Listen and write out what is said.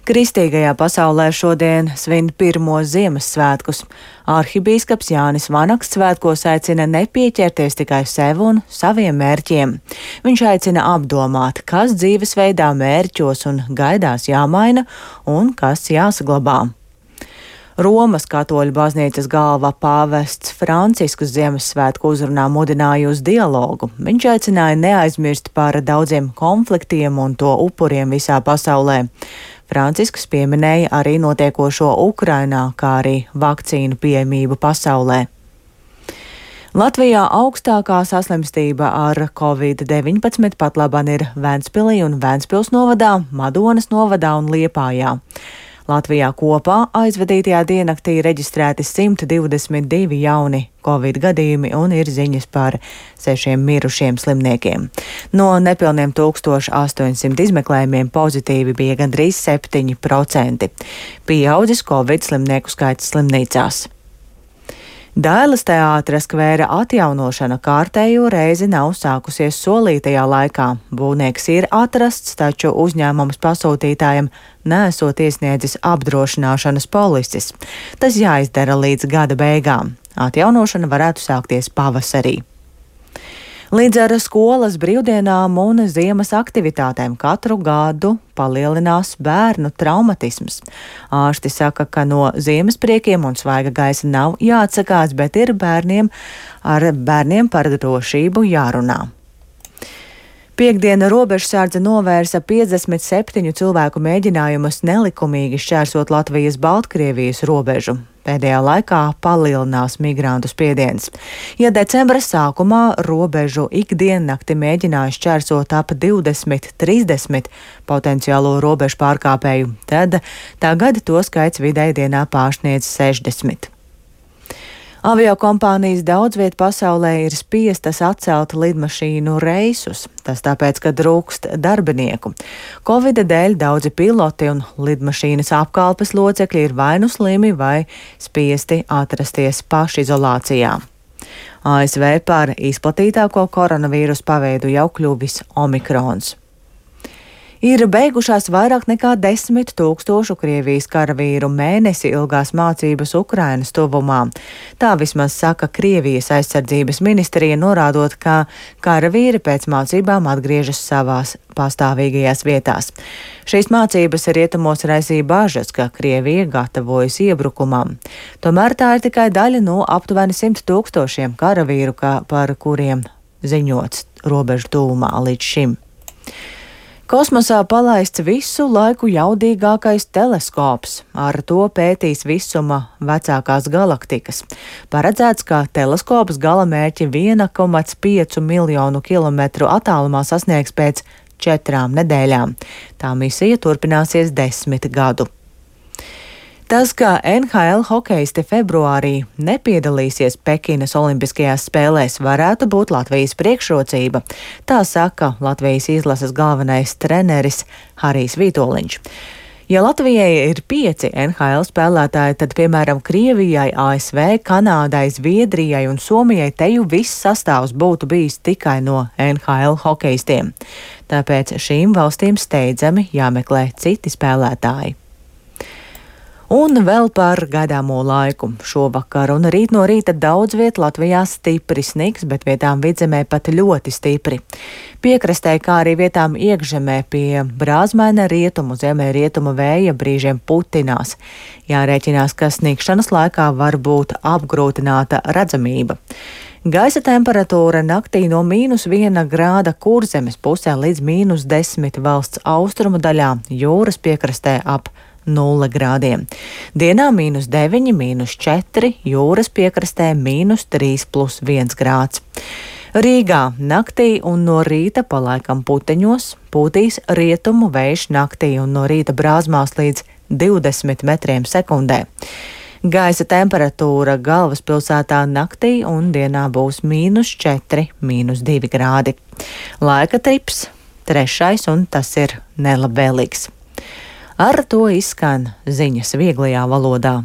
Kristīgajā pasaulē šodien svin pirmo Ziemassvētkus. Arhibīskaps Jānis Vanaks svētkos aicina nepieķerties tikai sev un saviem mērķiem. Viņš aicina apdomāt, kas dzīvesveidā, mērķos un gaidās jāmaina un kas jāsaglabā. Romas katoļu baznīcas galva pāvests Francisks Ziemassvētku uzrunā mudināja uz dialogu. Viņš aicināja neaizmirst par daudziem konfliktiem un to upuriem visā pasaulē. Francisks pieminēja arī notiekošo Ukrainā, kā arī vakcīnu pieejamību pasaulē. Latvijā augstākā saslimstība ar Covid-19 patlaban ir Ventspilī un Ventspils novadā, Madonas novadā un Liepājā. Latvijā kopā aizvadītajā diennaktī reģistrēti 122 jauni Covid gadījumi un ir ziņas par 6 mirušiem slimniekiem. No nepilniem 1800 izmeklējumiem pozitīvi bija gandrīz 7%. Pieaudzis Covid slimnieku skaits slimnīcās. Dailes teātra skvēra atjaunošana kārtējo reizi nav sākusies solītajā laikā. Būvnieks ir atrasts, taču uzņēmums pasūtītājiem nesot iesniedzis apdrošināšanas polises. Tas jāizdara līdz gada beigām. Atjaunošana varētu sākties pavasarī. Līdz ar skolas brīvdienām un ziemas aktivitātēm katru gadu palielinās bērnu traumatisms. Ārsti saka, ka no ziemas priekiem un svaiga gaisa nav jāatsakās, bet ir bērniem par drošību jārunā. Piektdiena robežsardze novērsa 57 cilvēku mēģinājumus nelikumīgi šķērsot Latvijas-Baltkrievijas robežu. Pēdējā laikā palielinās migrantu spiediens. Ja decembra sākumā robežu ikdiennakti mēģināja šķērsot ap 20-30 potenciālo robežu pārkāpēju, tad tagad to skaits vidēji dienā pārsniedz 60. Aviokompānijas daudz viet pasaulē ir spiestas atcelt lidmašīnu reisus. Tas tāpēc, ka trūkst darbinieku. Covida dēļ daudzi piloti un lidmašīnas apkalpes locekļi ir vai nu slimi vai spiesti atrasties pašizolācijā. ASV par izplatītāko koronavīrusu paveidu jau kļuvis Omikrons. Ir beigušās vairāk nekā 10 000 Krievijas karavīru mēnesi ilgās mācības Ukrainas tuvumā. Tā vismaz saka Krievijas aizsardzības ministrija, norādot, ka karavīri pēc mācībām atgriežas savās pastāvīgajās vietās. Šīs mācības rietumos raisīja bažas, ka Krievija gatavojas iebrukumam. Tomēr tā ir tikai daļa no aptuveni 100 000 karavīru, par kuriem ziņots robežu tuvumā līdz šim. Kosmosā palaists visu laiku jaudīgākais teleskops. Ar to pētīs visuma vecākās galaktikas. Paredzēts, ka teleskops galamērķi 1,5 miljonu kilometru attālumā sasniegs pēc 4 nedēļām. Tā misija turpināsies 10 gadu. Tas, ka NHL hokejisti februārī nepiedalīsies Pekinas Olimpiskajās spēlēs, varētu būt Latvijas priekšrocība. Tā saka Latvijas izlases galvenais treneris Harijs Vitoļņš. Ja Latvijai ir 5 NHL spēlētāji, tad, piemēram, Krievijai, ASV, Kanādai, Zviedrijai un Somijai teju viss sastāvs būtu bijis tikai no NHL hokejistiem. Tāpēc šīm valstīm steidzami jāmeklē citi spēlētāji. Un vēl par gaidāmo laiku. Šovakar un rīt no rīta daudz viet Latvijā stipri sniks, bet vietām vidzemē pat ļoti stipri. Piekrastē, kā arī vietām iekšzemē pie brāzmaina rietumu, ziemeļrietumu vēja brīžiem putinās. Jārēķinās, ka snikšanas laikā var būt apgrūtināta redzamība. Gaisa temperatūra naktī no -1 grāda Kurzemes pusē līdz -10 valsts austrumu daļā, jūras piekrastē ap 0 grādiem. Dienā -9, -4, jūras piekrastē -3+1 grāds. Rīgā naktī un no rīta pa laikam puteņos pūtīs rietumu vējš naktī un no rīta brāzmās līdz 20 metriem sekundē. Gaisa temperatūra galvaspilsētā naktī un dienā būs -4, -2 grādi. Laika trips 3. un tas ir nelabvēlīgs. Ar to izskan ziņas vieglajā valodā.